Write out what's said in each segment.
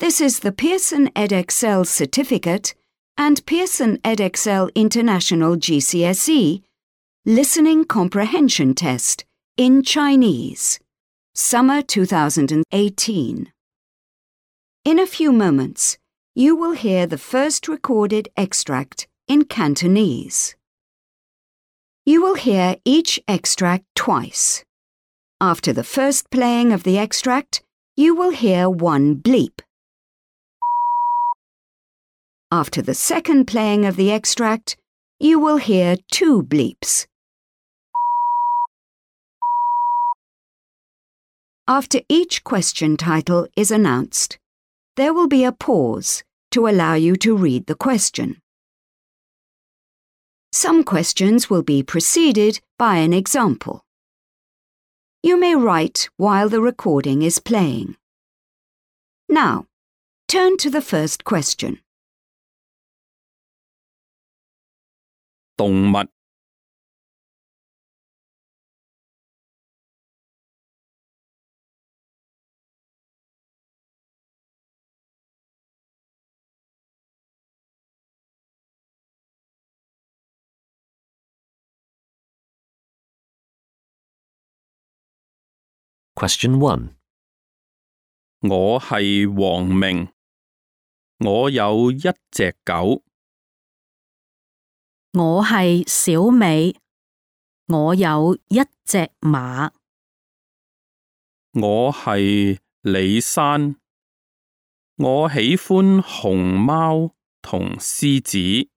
This is the Pearson EdXL Certificate and Pearson EdXL International GCSE Listening Comprehension Test in Chinese, Summer 2018. In a few moments, you will hear the first recorded extract in Cantonese. You will hear each extract twice. After the first playing of the extract, you will hear one bleep. After the second playing of the extract, you will hear two bleeps. After each question title is announced, there will be a pause to allow you to read the question. Some questions will be preceded by an example. You may write while the recording is playing. Now, turn to the first question. 動物 Question 1. 我係黃明，我有一隻狗。我係小美，我有一隻馬。我係李珊，我喜歡熊貓同獅子。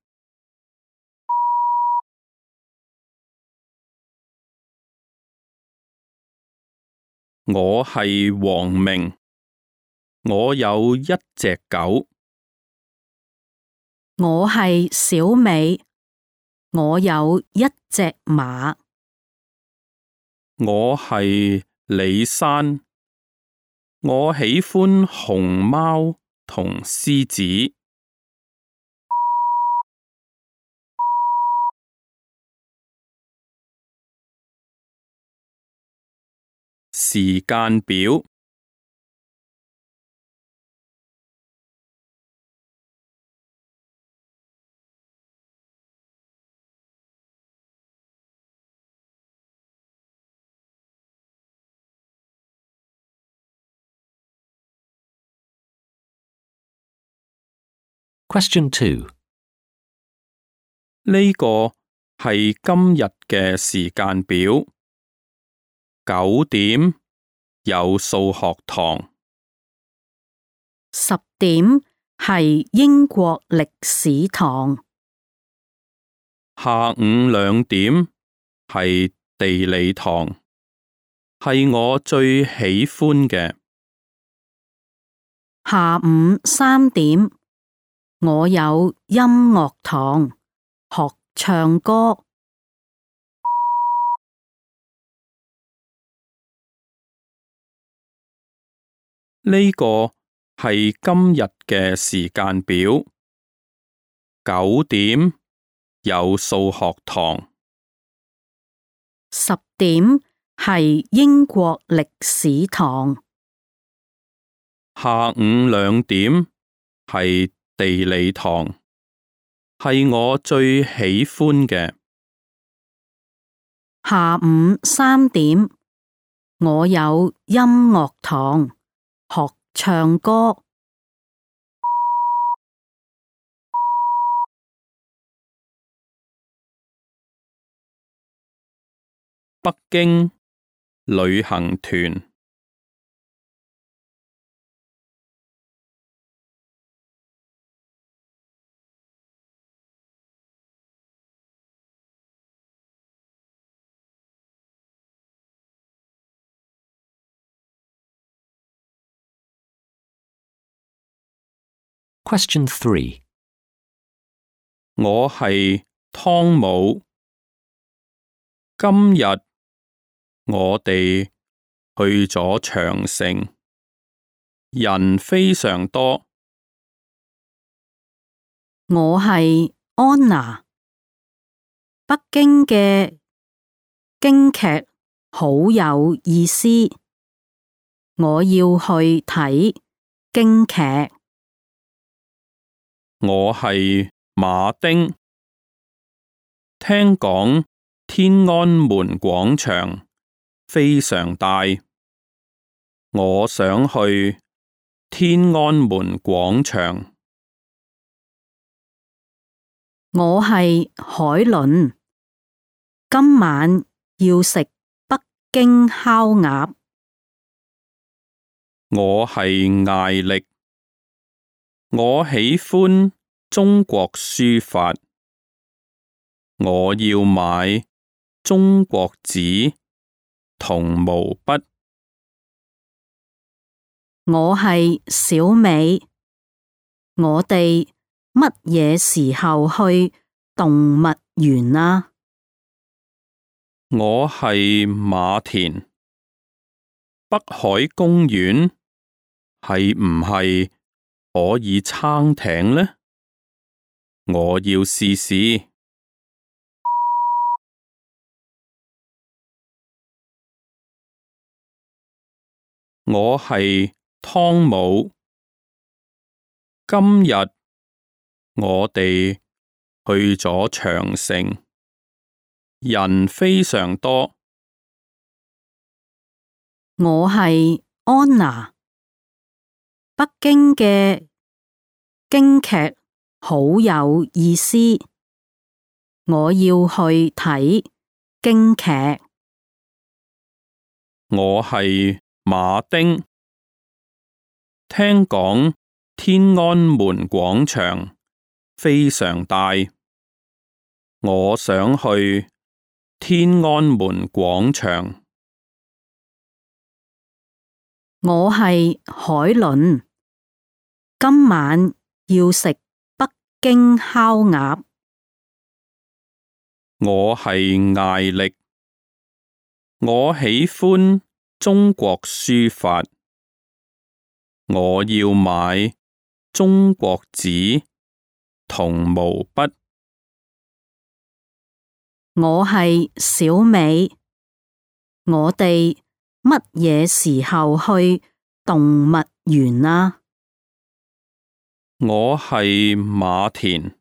我係黃明，我有一隻狗。我係小美，我有一隻馬。我係李珊，我喜歡熊貓同獅子。時間表 Question 2. 呢個係今日嘅時間表。9點有數學堂。10點係英國歷史堂。下午2點係地理堂，係我最喜歡嘅。下午3點，我有音樂堂，學唱歌。呢個係今日嘅時間表。9點有數學堂。10點係英國歷史堂。下午2點係地理堂，係我最喜歡嘅。下午3點，我有音樂堂，學唱歌。北京旅行團。Question 3. 我係湯姆。今日我哋去咗長城，人非常多。我係安娜。北京嘅京劇好有意思，我要去睇。京劇。我係馬丁。聽講天安門廣場非常大，我想去天安門廣場。我係海倫，今晚要食北京烤鴨。我係艾力，我喜歡中國書法，我要買中國紙同毛筆。我係小美，我哋乜嘢時候去動物園啊？我係馬田，北海公園係唔係可以撐艇呢？我要試試。我係湯姆，今日我哋去咗長城，人非常多。我係安娜，北京嘅京劇好有意思，我要去睇京劇。我係馬丁，聽講天安門廣場非常大，我想去天安門廣場。我係海倫，今晚要食北京烤鴨。我係艾力，我喜歡中國書法，我要買中國紙同毛筆。我係小美，我哋乜嘢時候去動物園啊？我係馬田，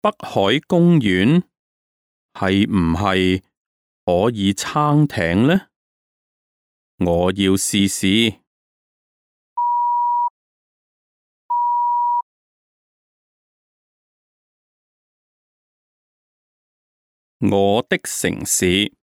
北海公園係唔係可以撐艇呢？我要試試。我的城市。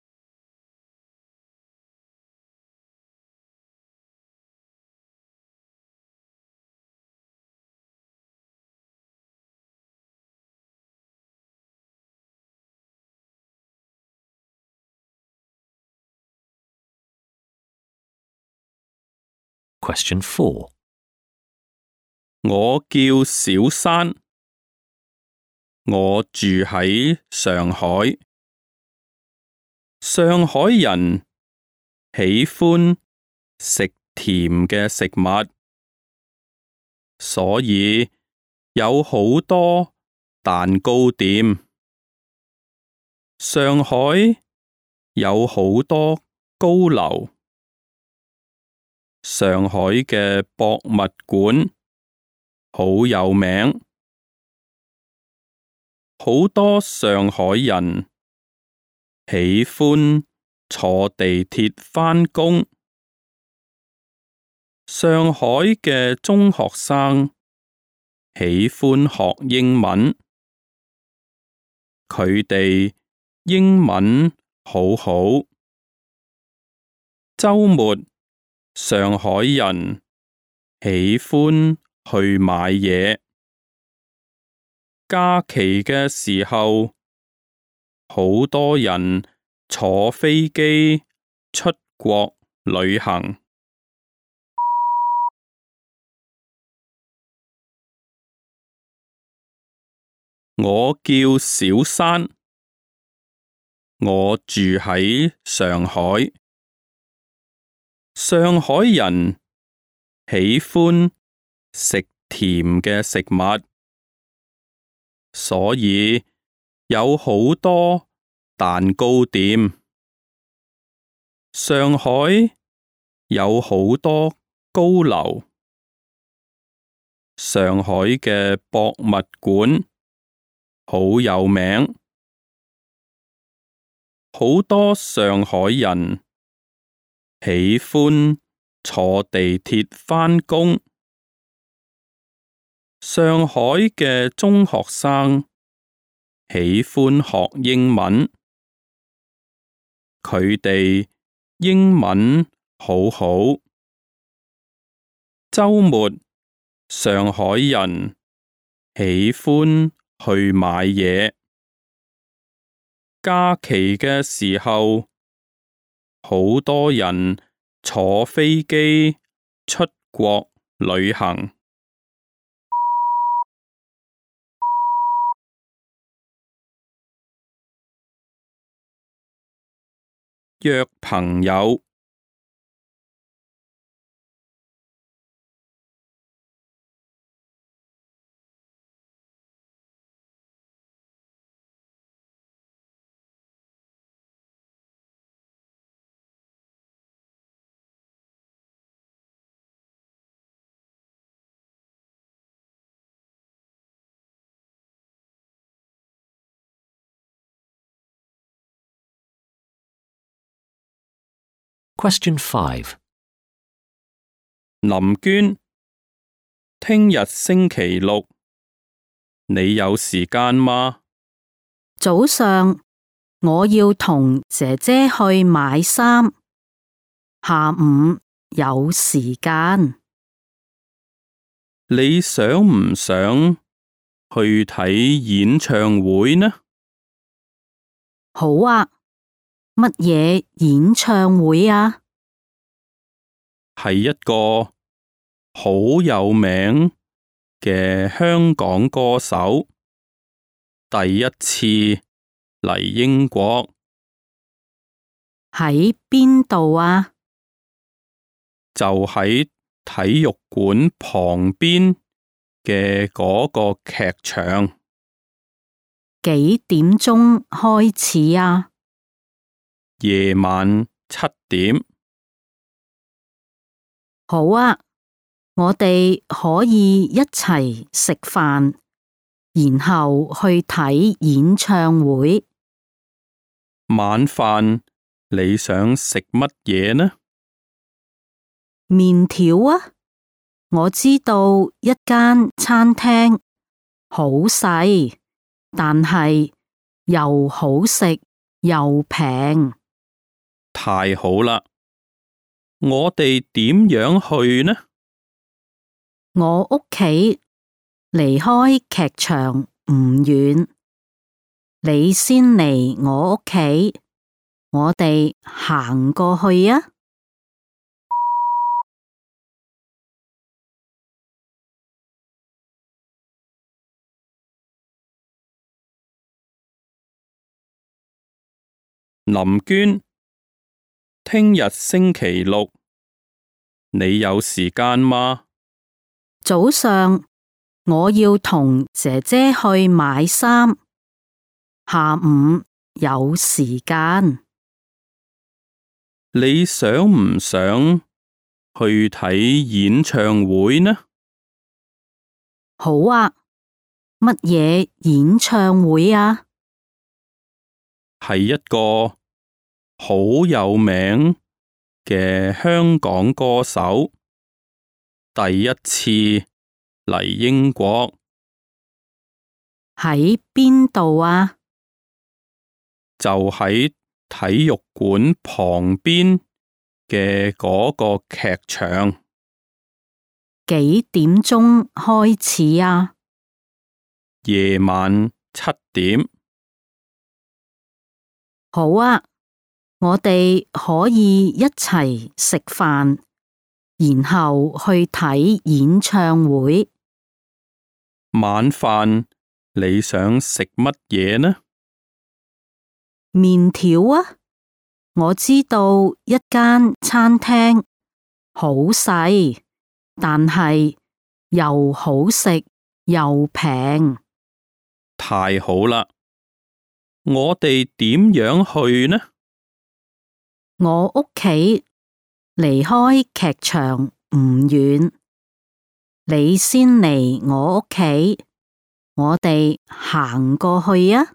Question 4. 我叫小山，我住喺上海。上海人喜歡食甜嘅食物，所以有好多蛋糕店。上海有好多高樓。上海嘅博物館好有名，好多上海人喜歡坐地鐵返工。上海嘅中學生喜歡學英文，佢哋英文好好。週末上海人喜歡去買嘢，假期嘅時候，好多人坐飛機出國旅行。我叫小山，我住喺上海。上海人喜歡食甜嘅食物，所以有好多蛋糕店。上海有好多高樓。上海嘅博物館好有名，好多上海人喜歡坐地鐵返工。上海嘅中學生喜歡學英文，佢哋英文好好。週末，上海人喜歡去買嘢。假期嘅時候，好多人坐飛機出國旅行。約朋友。Question 5. 林娟，聽日星期六，你有時間嗎？早上我要同姐姐去買衫，下午有時間。你想唔想去睇演唱會呢？好啊，乜嘢演唱會啊？係一個好有名嘅香港歌手，第一次嚟英國。喺邊度啊？就喺體育館旁邊嘅嗰個劇場。幾點鐘開始啊？夜晚7點。好啊，我哋可以一齊食飯，然後去睇演唱會。晚飯你想食乜嘢呢？麵條啊，我知道一間餐廳好細，但係又好食又平。太好啦！我哋點樣去呢？我屋企離開劇場唔遠，你先嚟我屋企，我哋行過去啊！林娟，聽日星期六，你有時間嗎？早上我要同姐姐去買衫，下午有時間。你想唔想去睇演唱會呢？好啊，乜嘢演唱會啊？係一個好有名嘅香港歌手，第一次嚟英國。喺邊度啊？就喺體育館旁邊嘅嗰個劇場。幾點鐘開始啊？夜晚7點。好啊，我哋可以一齊食飯，然後去睇演唱會。晚飯你想食乜嘢呢？麵條啊，我知道一間餐廳好細，但係又好食又平。太好啦！我哋點樣去呢？我屋企離開劇場唔遠，你先嚟我屋企，我哋行過去啊！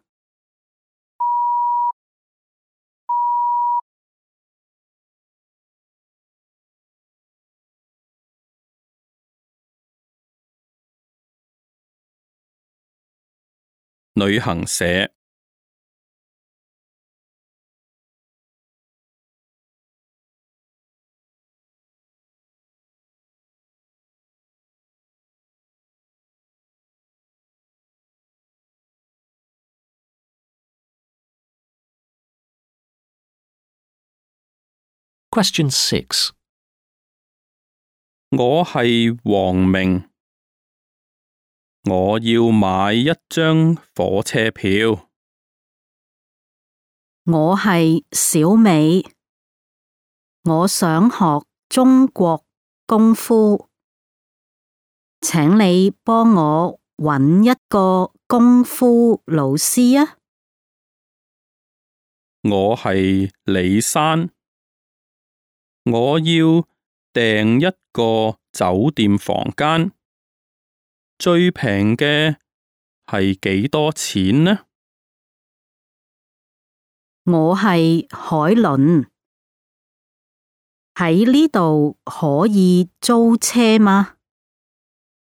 旅行社。Question 6. 我係黃明，我要買一張火車票。我係小美，我想學中國功夫，請你幫我搵一個功夫老師啊！我係李珊，我要訂一個酒店房間，最平嘅係幾多錢呢？我係海倫，喺呢度可以租車嗎？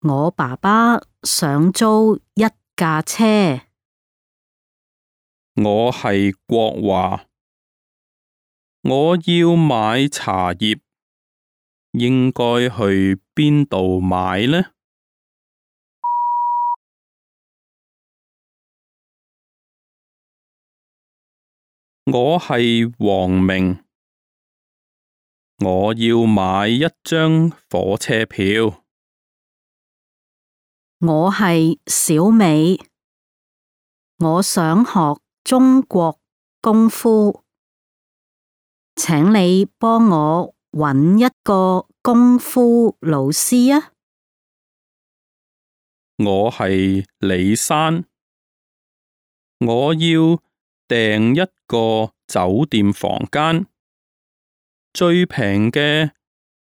我爸爸想租一架車。我係國華，我要買茶葉，應該去邊度買呢？我係黃明，我要買一張火車票。我係小美，我想學中國功夫，請你幫我搵一個功夫老師啊！我係李珊，我要訂一個酒店房間，最平嘅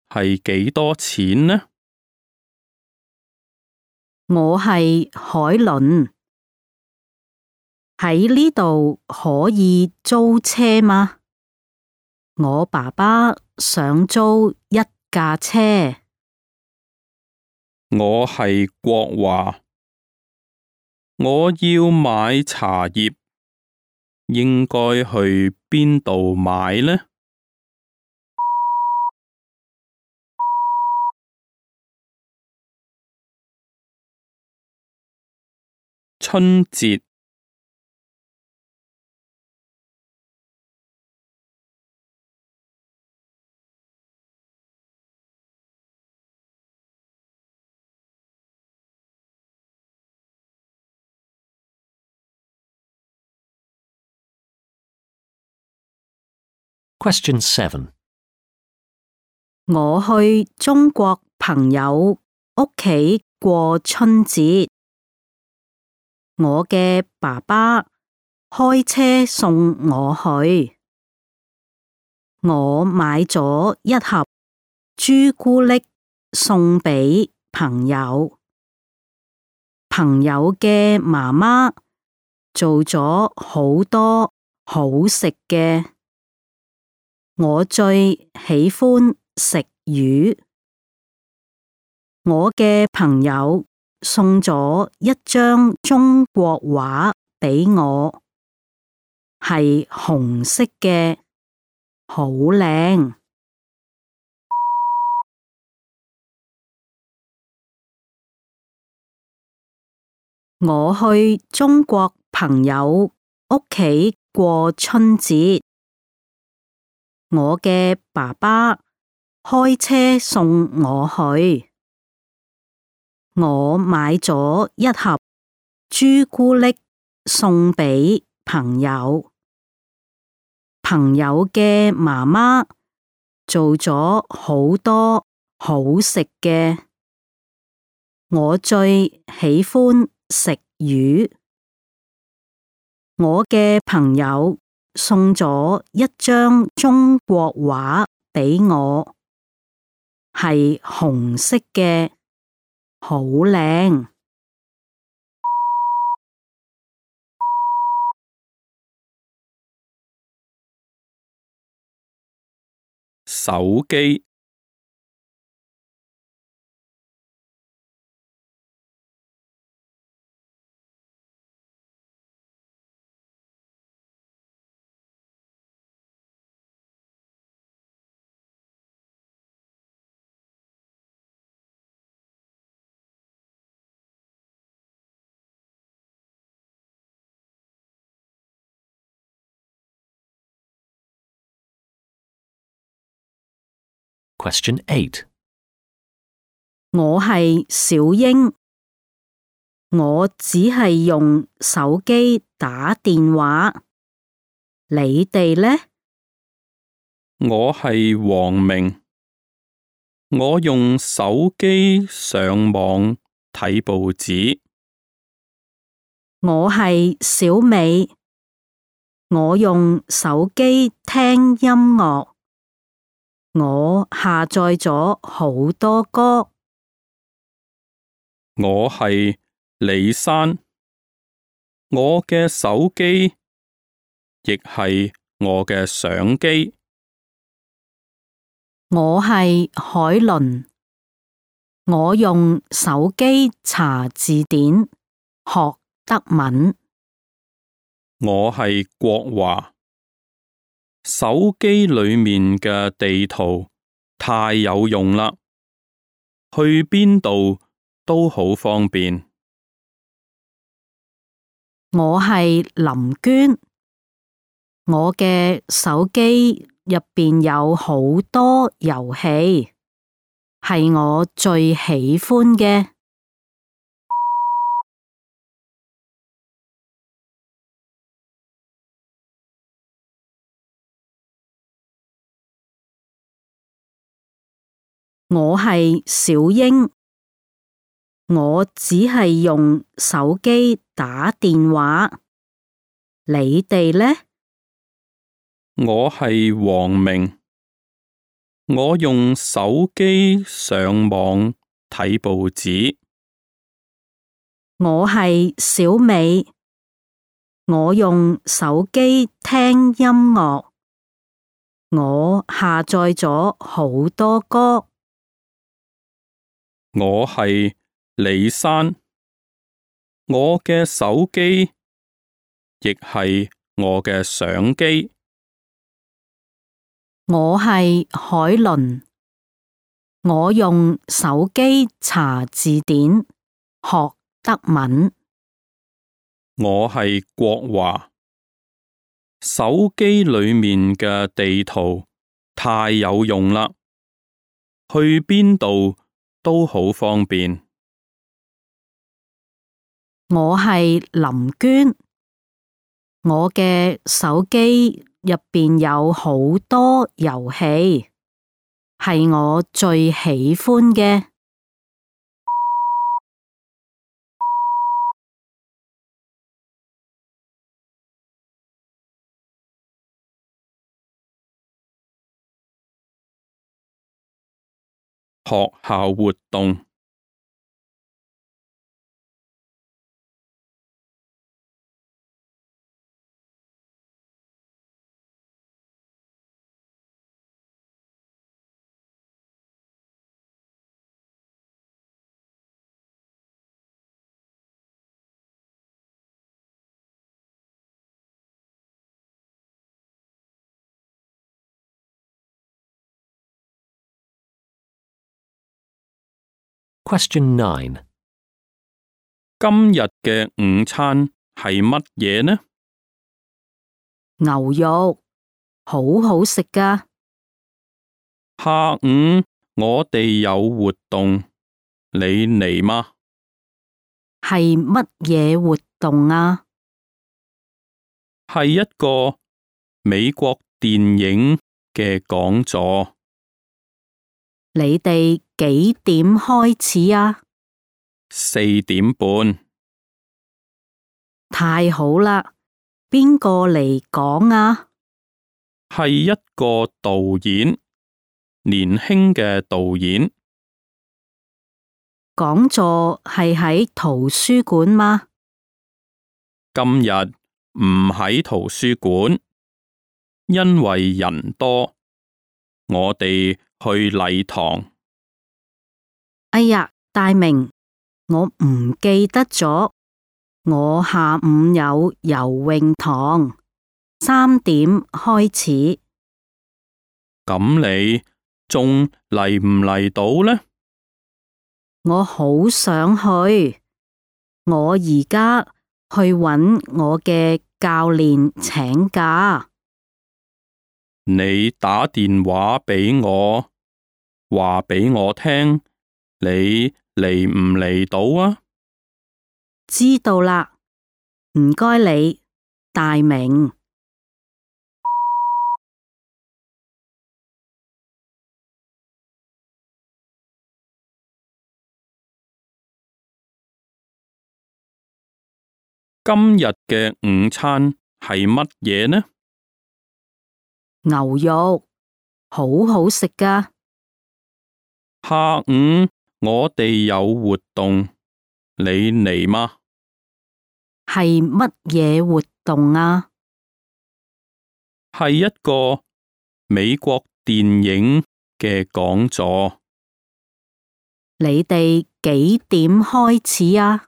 係幾多錢呢？我係海倫，喺呢度可以租車嗎？我爸爸想租一架車。我係國華，我要買茶葉，應該去邊度買呢？春節。Question 7. 我去中國朋友屋企過春節，我嘅爸爸開車送我去，我買咗一盒朱古力送俾朋友，朋友嘅媽媽做咗好多好食嘅。我最喜歡食魚。我嘅朋友送咗一張中國畫俾我，係紅色嘅，好靚。我去中國朋友屋企過春節，我嘅爸爸開車送我去，我買咗一盒朱古力送俾朋友，朋友嘅媽媽做咗好多好食嘅。我最喜歡食魚。我嘅朋友送咗一張中國畫俾我，係紅色嘅，好靚。手機。Question 8. 我係小英，我只係用手機打電話。你哋呢？我係黃明，我用手機上網睇報紙。我係小美，我用手機聽音樂。我下載咗好多歌。我係李珊，我嘅手機亦係我嘅相機。我係海倫，我用手機查字典學德文。我係國華，手機裏面嘅地圖太有用啦，去邊度都好方便。我係林娟，我嘅手機入邊有好多遊戲，係我最喜歡嘅。我係小英，我只係用手機打電話。你哋呢？我係黃明，我用手機上網睇報紙。我係小美，我用手機聽音樂。我下載咗好多歌。我係李珊，我嘅手機亦係我嘅相機。我係海倫，我用手機查字典學德文。我係國華，手機裏面嘅地圖太有用啦，去邊度都好方便。我係林娟，我嘅手機入邊有好多遊戲，係我最喜歡嘅。學校活動。Question 9. 今日嘅午餐係乜嘢呢？牛肉，好好食㗎。下午我哋有活動，你嚟嗎？係乜嘢活動啊？係一個美國電影嘅講座。你哋幾點開始啊4:30。太好啦，邊個嚟講啊？係一個導演，年輕嘅導演。講座係喺圖書館嗎？今日唔喺圖書館，因為人多，我哋去禮堂。哎呀，大明，我唔記得咗，我下午有游泳堂，3點開始。咁你仲嚟唔嚟到呢？我好想去，我而家去搵我嘅教練請假。你打電話俾我，話俾我聽，你嚟唔嚟到啊？知道啦，唔該你，大明。今日嘅午餐係乜嘢呢？牛肉，好好食㗎。下午我哋有活動，你嚟嗎？係乜嘢活動啊？係一個美國電影嘅講座。你哋幾點開始啊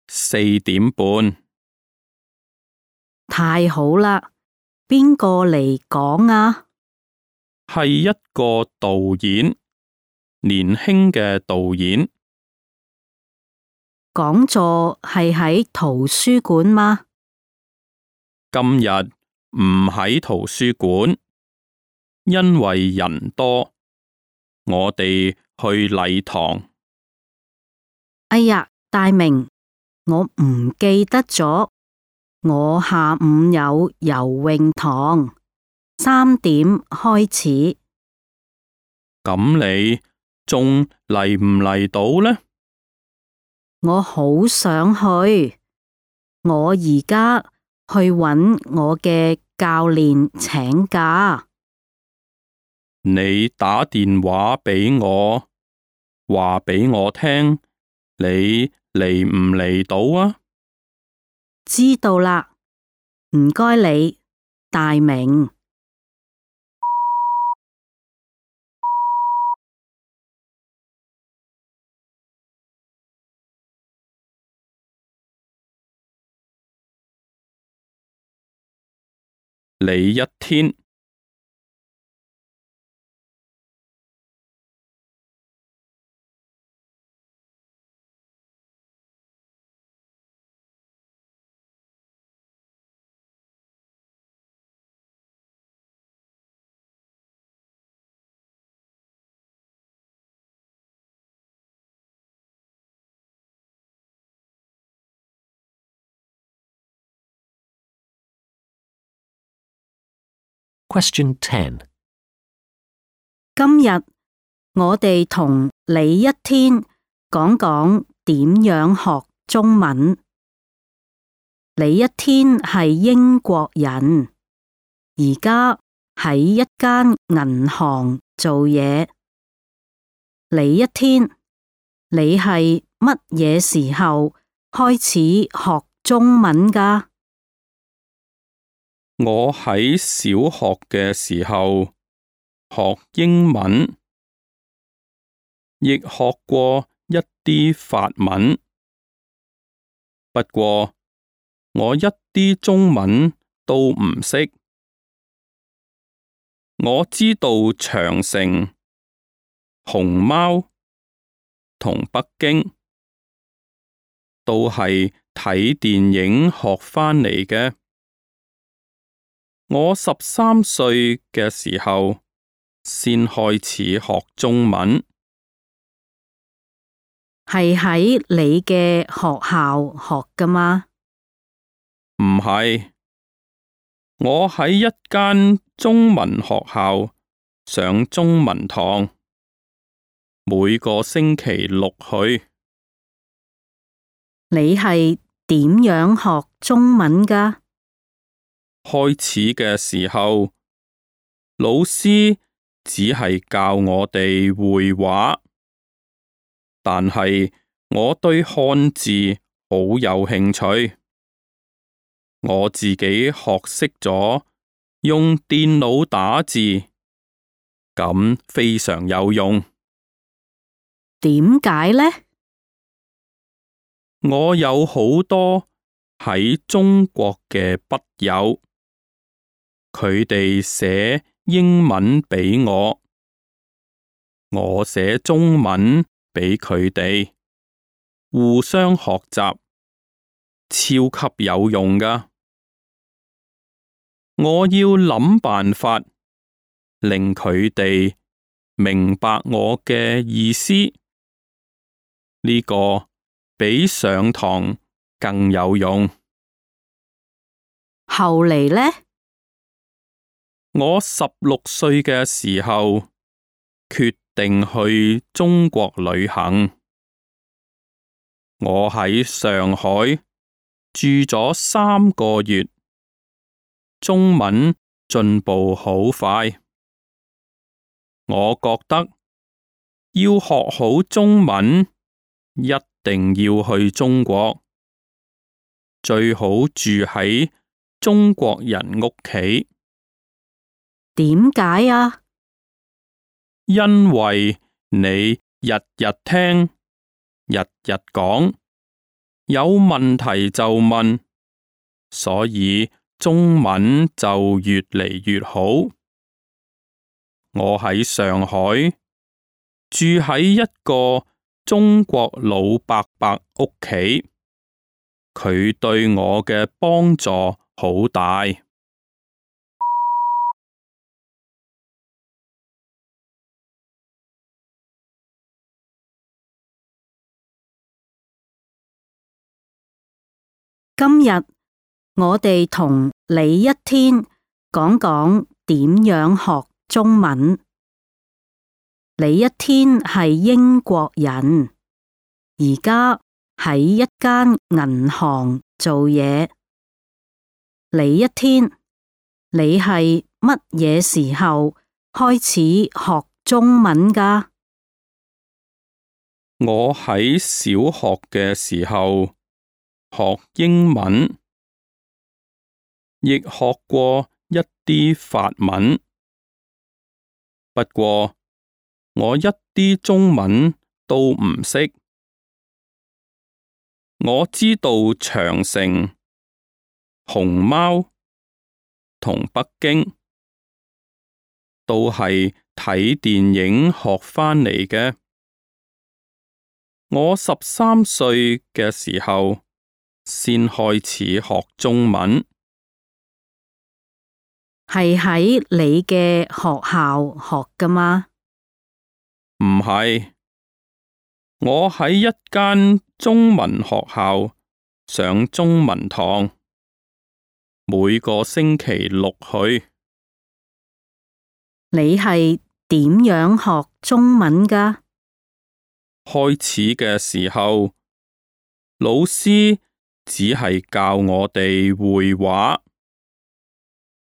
？4點半。太好啦，邊個嚟講啊？係一個導演，年輕嘅導演。講座係喺圖書館嗎？今日唔喺圖書館，因為人多，我哋去禮堂。哎呀，大明，我唔記得咗，我下午有游泳堂，3點開始。咁你仲嚟唔嚟到呢？我好想去，我而家去搵我嘅教練請假。你打電話俾我，話俾我聽，你嚟唔嚟到啊？知道啦，唔該你，大明。你一天。Question 10. 今日我哋同李一天講講點樣學中文。李一天係英國人，而家喺一間銀行做嘢。李一天，你係乜嘢時候開始學中文㗎？我喺小學嘅時候學英文，亦學過一啲法文，不過我一啲中文都唔識。我知道長城、熊貓同北京都係睇電影學返嚟嘅。我13歲嘅時候先開始學中文。係喺你嘅學校學㗎嗎？唔係，我喺一間中文學校上中文堂，每個星期六去。你係點樣學中文㗎？開始嘅時候，老師只係教我哋會話。但係我對漢字好有興趣。我自己學識咗用電腦打字，咁非常有用。點解呢？我有好多喺中國嘅筆友，佢哋寫英文俾我，我寫中文俾佢哋，互相學習，超級有用㗎。我要諗辦法令佢哋明白我嘅意思，呢個比上堂更有用。後嚟呢？我16歲嘅時候，決定去中國旅行。我喺上海住咗3個月，中文進步好快。我覺得要學好中文，一定要去中國，最好住喺中國人屋企。點解啊？因為你日日聽，日日講，有問題就問，所以中文就越嚟越好。我喺上海住喺一個中國老伯伯屋企，佢對我嘅幫助好大。今日我哋同李一天講講點樣學中文。李一天係英國人，而家喺一間銀行做嘢。李一天，你係乜嘢時候開始學中文㗎？我喺小學嘅時候學英文，亦學過一啲法文，不過我一啲中文都唔識。我知道長城、熊貓同北京都係睇電影學返嚟嘅。我13歲嘅時候先開始學中文。係喺你嘅學校學㗎嗎？唔係，我喺一間中文學校上中文堂，每個星期6去。你係點樣學中文㗎？開始嘅時候，老師只係教我哋會話，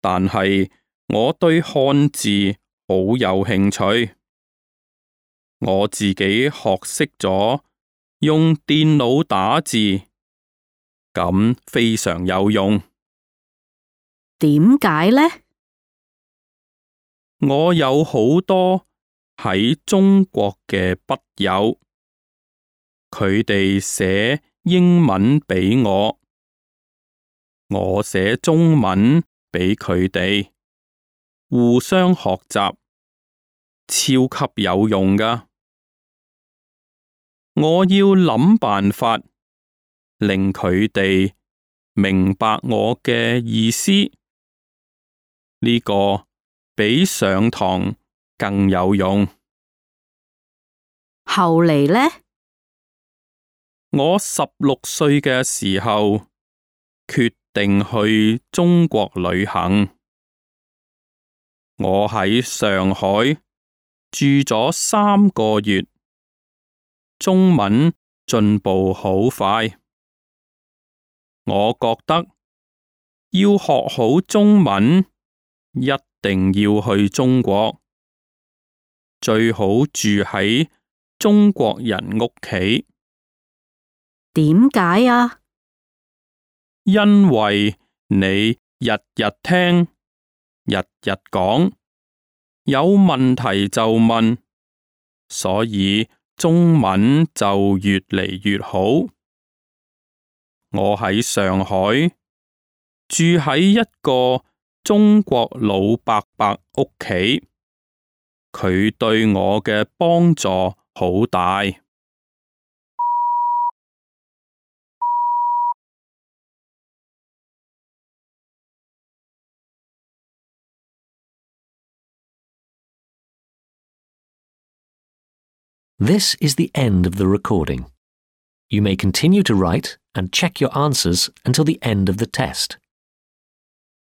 但係我對漢字好有興趣。我自己學識咗用電腦打字，咁非常有用。點解呢？我有好多喺中國嘅筆友，佢哋寫英文俾我，我寫中文俾佢哋，互相學習，超級有用㗎。我要諗辦法令佢哋明白我嘅意思，呢個比上堂更有用。後嚟呢？我16歲嘅時候決定去中國旅行。我喺上海住咗3個月，中文進步好快。我覺得要學好中文，一定要去中國，最好住喺中國人屋企，點解啊？因為你日日聽，日日講，有問題就問，所以中文就越嚟越好。我喺上海，住喺一個中國老伯伯屋企，佢對我嘅幫助好大。This is the end of the recording. You may continue to write and check your answers until the end of the test.